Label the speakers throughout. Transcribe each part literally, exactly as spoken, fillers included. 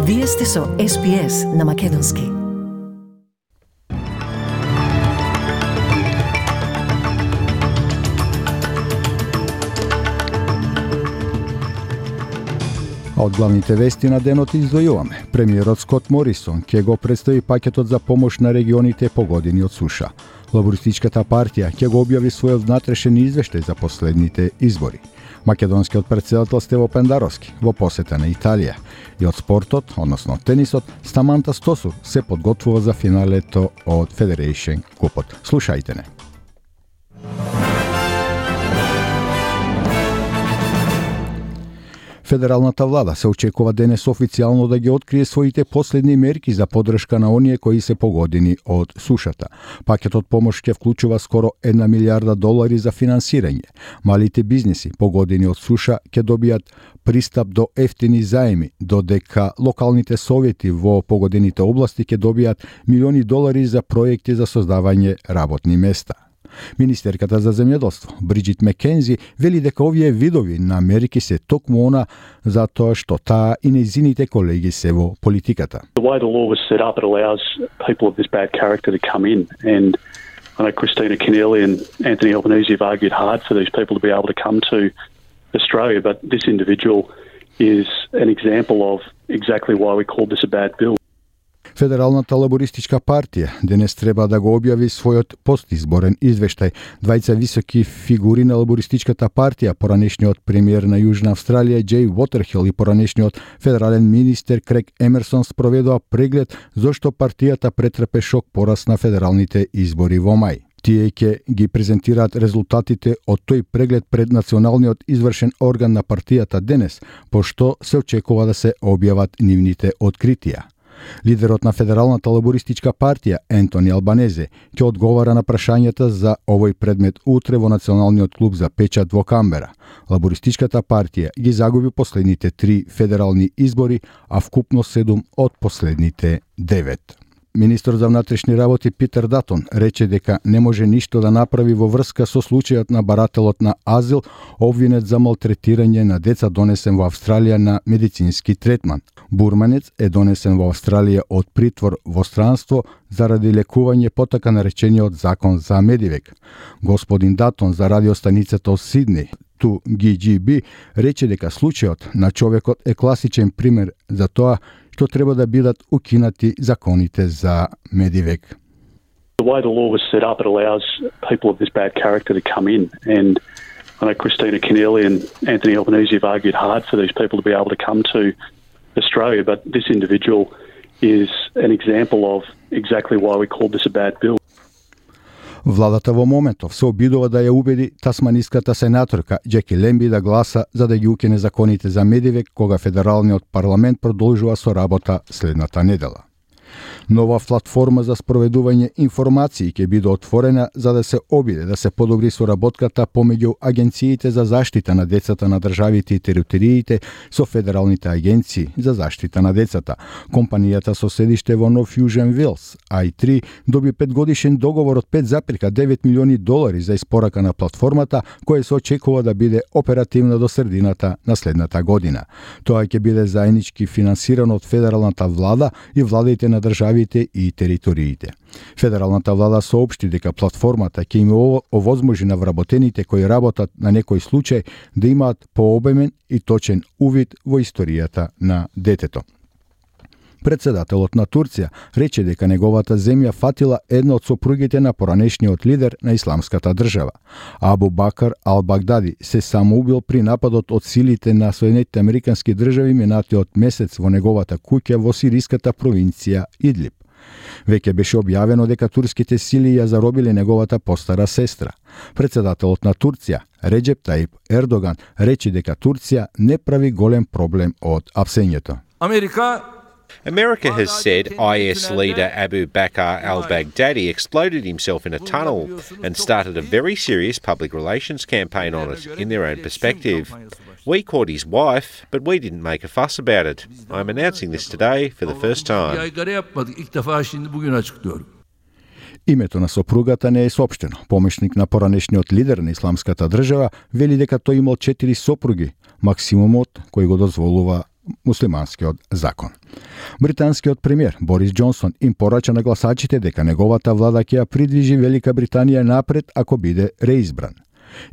Speaker 1: Вие сте со Ес Би Ес на Македонски.
Speaker 2: А од главните вести на денот издвојуваме. Премиерот Скот Морисон ќе го представи пакетот за помош на регионите погодени од суша. Лабористичката партија ќе го објави својот внатрешен извештај за последните избори. Македонскиот претседател Стево Пендаровски во посета на Италија. И од спортот, односно тенисот, Стаманта Стосур се подготвува за финалето од Федерейшн купот. Слушајте не. Федералната влада се очекува денес официјално да ги открие своите последни мерки за поддршка на оние кои се погодени од сушата. Пакетот помош ќе вклучува скоро една милијарда долари за финансирање. Малите бизниси погодени од суша ќе добијат пристап до ефтини заеми, додека локалните совети во погодените области ќе добијат милиони долари за проекти за создавање работни места. Министерката за земјоделство Бриджит Мекензи вели дека овие видови на мерки се токму она затоа што таа и нејзините колеги се во политиката.
Speaker 3: The way the law was set up, it allows people of this bad character to come in, and I know Christina Keneally and Anthony Albanese have argued hard for these people to be able to come to Australia, but this individual is an example of exactly why we called this a bad bill.
Speaker 2: Федералната лабористичка партија денес треба да го објави својот постизборен извештај. Двајца високи фигури на лабористичката партија, поранешниот премиер на Јужна Австралија Џеј Вотерхил и поранешниот федерален министер Крейг Емерсон спроведоа преглед зошто партијата претрпе шок пораз на федералните избори во мај. Тие ќе ги презентираат резултатите од тој преглед пред националниот извршен орган на партијата денес, пошто се очекува да се објават нивните откритија. Лидерот на Федералната лабористичка партија, Ентони Албанезе, ќе одговара на прашањата за овој предмет утре во Националниот клуб за печат во Камбера. Лабористичката партија ги загуби последните три федерални избори, а вкупно седум од последните девет. Министер за внатрешни работи Питер Датон рече дека не може ништо да направи во врска со случајот на барателот на азил, обвинет за малтретирање на деца донесен во Австралија на медицински третман. Бурманец е донесен во Австралија од притвор во странство заради лекување по така наречениот закон за Медивек. Господин Датон за радиостаницата од Сиднеј Ту Ги Джи Би рече дека случајот на човекот е класичен пример за тоа што треба да бидат укинати законите за Медивек.
Speaker 3: The way the law was set up, it allows people of this bad character to come in, and I know Christina Keneally and Anthony Albanese have argued hard for these people to be able to come to Australia, but this individual is an example of exactly why we called this a bad bill.
Speaker 2: Владата во моментов се обидува да ја убеди тасманиската сенаторка Џеки Лемби да гласа за да ги укине законите за Медивек кога федералниот парламент продолжува со работа следната недела. Нова платформа за спроведување информации ќе биде отворена за да се обиде да се подобри соработката помеѓу агенциите за заштита на децата на државите и териториите со федералните агенции за заштита на децата. Компанијата со седиште во Нов Јужен Велс, ај три, доби петгодишен договор од пет зарез девет милиони долари за испорака на платформата, која се очекува да биде оперативна до средината на следната година. Тоа ќе биде заеднички финансирано од федералната влада и владите на државите и териториите. Федералната влада соопшти дека платформата ќе им овозможи на вработените кои работат на некој случај да имаат пообемен и точен увид во историјата на детето. Председателот на Турција рече дека неговата земја фатила една од сопругите на поранешниот лидер на исламската држава. Абу Бакар Ал-Багдади се самоубил при нападот од силите на Соединетите Американски држави минатиот месец во неговата куќа во сириската провинција Идлиб. Веќе беше објавено дека турските сили ја заробиле неговата постара сестра. Председателот на Турција, Реџеп Таип Ердоган, рече дека Турција не прави голем проблем од апсењето.
Speaker 4: Америка
Speaker 5: America has said I S leader Abu Bakr al-Baghdadi exploded himself in a tunnel and started a very serious public relations campaign on it, in their own perspective. We caught his wife, but we didn't make a fuss about it. I'm announcing this today for the first time.
Speaker 2: Името на сопругата не е соопштено. Помешник на поранешниот лидер на исламската држава вели дека тој имал четири сопруги, максимумот кој го дозволува муслиманскиот закон. Британскиот премиер Борис Џонсон им порача на гласачите дека неговата влада ќе ја придвижи Велика Британија напред ако биде реизбран.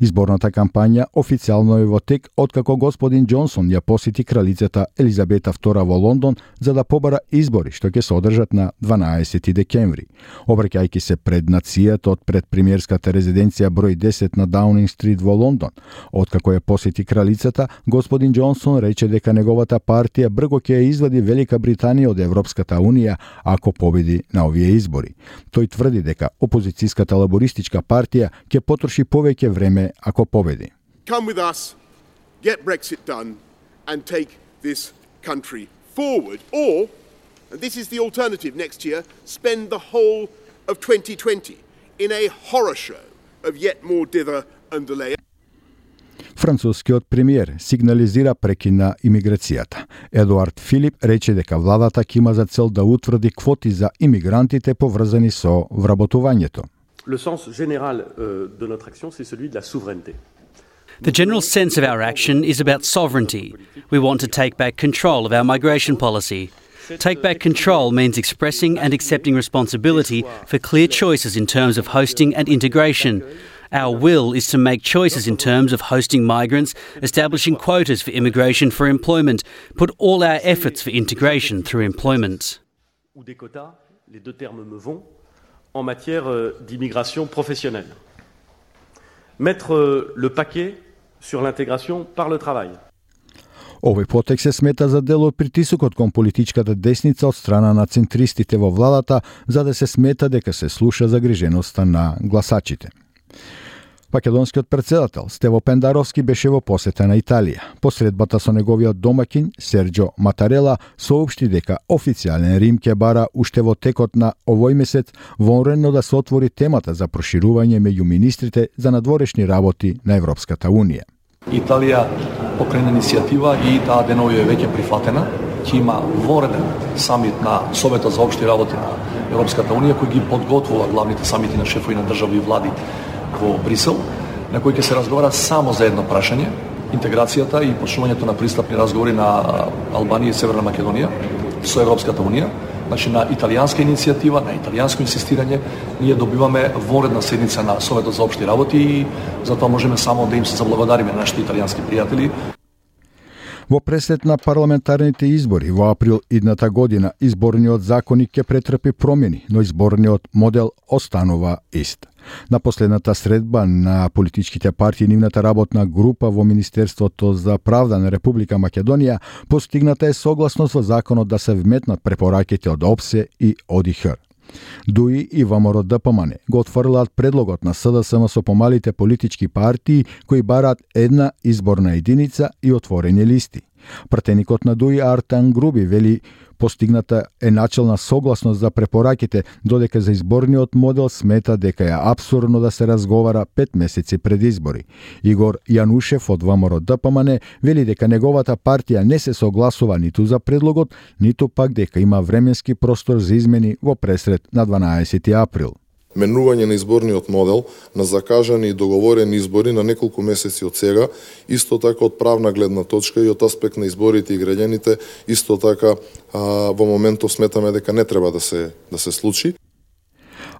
Speaker 2: Изборната кампања официјално е во тек откако господин Џонсон ја посети кралицата Елизабета втора во Лондон за да побара избори што ќе се одржат на дванаесети декември. Обраќајќи се пред нацијата од пред премиерската резиденција број десет на Даунинг стрит во Лондон, откако ја посети кралицата, господин Џонсон рече дека неговата партија брго ќе ја извади Велика Британија од Европската унија ако победи на овие избори. Тој тврди дека опозицијската лабористичка партија ќе потроши повеќе време ако победи.
Speaker 4: Come with us, get Brexit done and take this country forward. Or, and this is the alternative next year, spend the whole of twenty twenty in a horror show of yet more dither and delay.
Speaker 2: Францускиот премиер сигнализира прекин на имиграцијата. Едуард Филип рече дека владата ќе има за цел да утврди квоти за имигрантите поврзани со вработувањето.
Speaker 6: Le sens général euh, de notre action, c'est celui de la souveraineté.
Speaker 7: The general sense of our action is about sovereignty. We want to take back control of our migration policy. Take back control means expressing and accepting responsibility for clear choices in terms of hosting and integration. Our will is to make choices in terms of hosting migrants, establishing quotas for immigration for employment, put all our efforts for integration through employment.
Speaker 6: Ou des quotas, les deux termes me vont, en matière d'immigration professionnelle. Mettre le paquet sur l'intégration par le travail.
Speaker 2: Овој потек се смета за дел од притисокот кон политичката десница од страна на центристите во владата, за да се смета дека се слуша загриженоста на гласачите. Македонскиот председател Стево Пендаровски беше во посета на Италија. По средбата со неговиот домаќин Серџо Матарела соопшти дека официјален Рим ќе бара уште во текот на овој месец вонредно да се отвори темата за проширување меѓу министрите за надворешни работи на Европската унија.
Speaker 8: Италија покрена иницијатива и таа денови е веќе прифатена. Ќе има вонреден самит на Советот за општи работи на Европската унија кој ги подготвува главните самити на шефови на држави и влади во Брисел, на кој ќе се разговара само за едно прашање, интеграцијата и почнувањето на пристапни разговори на Албанија и Северна Македонија со Европската унија. Значи на италијанска иницијатива, на италијанско инсистирање, ние добиваме вонредна седница на Советот за општи работи и затоа можеме само да им се заблагодариме на нашите италијански пријатели.
Speaker 2: Во преслед на парламентарните избори во април идната година, изборниот законник ќе претрпи промени, но изборниот модел останува ист. На последната средба на политичките партии нивната работна група во Министерството за правда на Република Македонија постигната е согласност во законот да се вметнат препораките од ОПСЕ и ОДИХР. ДУИ и ВМРО-ДПМН го отфрлаат предлогот на СДСМ со помалите политички партии кои бараат една изборна единица и отворени листи. Пратеникот на ДУИ Артан Груби вели постигната е начелна согласност за препораките, додека за изборниот модел смета дека е апсурдно да се разговара пет месеци пред избори. Игор Јанушев од ВМРО-ДПМН вели дека неговата партија не се согласува ниту за предлогот, ниту пак дека има временски простор за измени во пресред на дванаесети април.
Speaker 9: Менување на изборниот модел на закажани и договорени избори на неколку месеци од сега, исто така од правна гледна точка и од аспект на изборите и граѓаните, исто така а, во моментов сметаме дека не треба да се да се случи.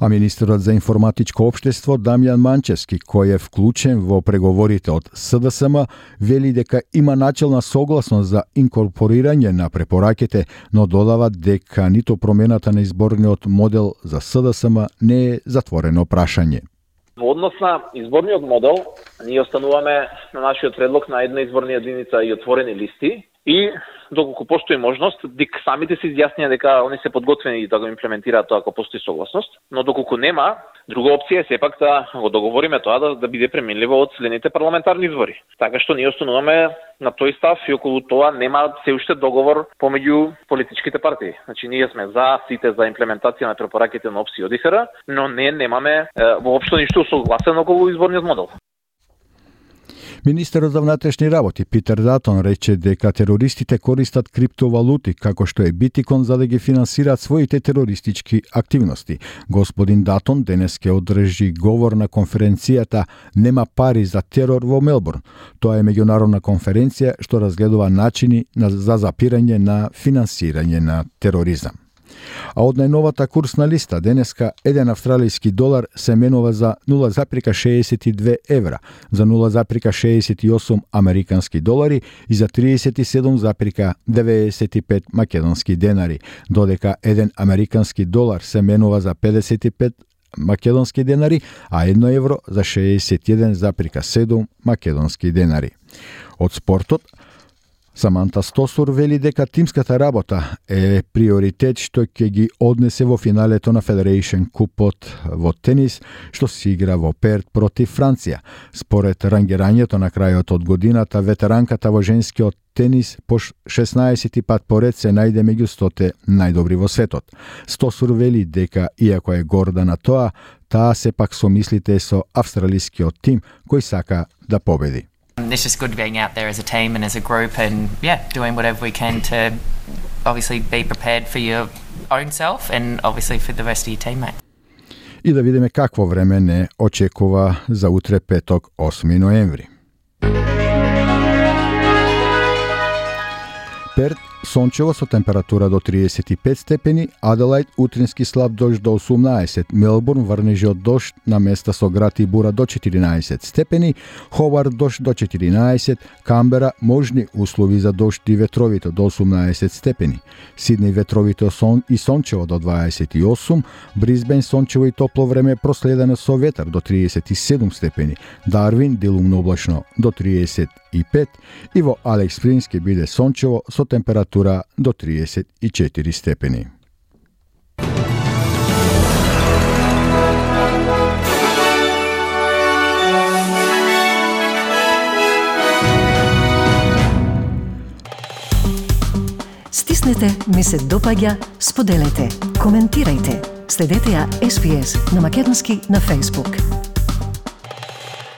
Speaker 2: А министерот за информатичко општество Дамјан Манчевски, кој е вклучен во преговорите од СДСМ, вели дека има начелна согласност за инкорпорирање на препораките, но додава дека ниту промената на изборниот модел за СДСМ не е затворено прашање.
Speaker 10: Во однос на изборниот модел, ние остануваме на нашиот предлог на една изборна единица и отворени листи и доколку постои можност, дик самите се изјаснија дека они се подготвени да го имплементираат тоа ако постои согласност, но доколку нема, друга опција е сепак да го договориме тоа да, да биде пременливо од следните парламентарни избори. Така што ние остануваме на тој став и околу тоа нема се уште договор помеѓу политичките партии. Значи ние сме за сите за имплементација на препораките на ОПСЕ и ОДИХР, но не немаме е, воопшто ништо согласено околу изборниот модел.
Speaker 2: Министерот за внатрешни работи Питер Датон рече дека терористите користат криптовалути како што е биткоин за да ги финансираат своите терористички активности. Господин Датон денес ќе одржи говор на конференцијата Нема пари за терор во Мелбурн. Тоа е меѓународна конференција што разгледува начини за запирање на финансирање на тероризам. А од најновата курсна листа денеска еден австралиски долар се менува за нула запирка шеесет и две евра, за нула запирка шеесет и осум американски долари и за триесет и седум запирка деветдесет и пет македонски денари, додека еден американски долар се менува за педесет и пет македонски денари, а едно евро за шеесет и еден запирка седум македонски денари. Од спортот, Саманта Стосур вели дека тимската работа е приоритет што ќе ги однесе во финалето на Federation Купот во тенис, што се игра во Перт против Франција. Според рангирањето на крајот од годината, ветеранката во женскиот тенис по шеснаесети пат поред се најде меѓу стоте најдобри во светот. Стосур вели дека, иако е горда на тоа, таа сепак со мислите со австралискиот тим кој сака да победи.
Speaker 11: It's just good being out there as a team and as a group and, yeah, doing whatever we can to obviously be prepared for your own self and obviously for the rest of your teammates.
Speaker 2: И да видиме какво време не очекува за утре петок, осми ноември. Перт сончево со температура до триесет и пет степени, Аделајд утрински слаб дожд до осумнаесет, Мелбурн врнежи дожд на места со град и бура до четиринаесет степени, Хобарт дожд до четиринаесет, Камбера можни услови за дожд и ветровито до осумнаесет степени, Сиднеј ветровито сон и сончево до дваесет и осум, Брисбен сончево и топло време проследено со ветар до триесет и седум степени, Дарвин делумно облачно до триесет и пет и во Алекс Спрингс ќе биде сончево со температура до триесет и четири степени.
Speaker 1: Стиснете, ми се допаѓа, споделете, коментирајте. Следете ја Ес Би Ес на македонски на Facebook.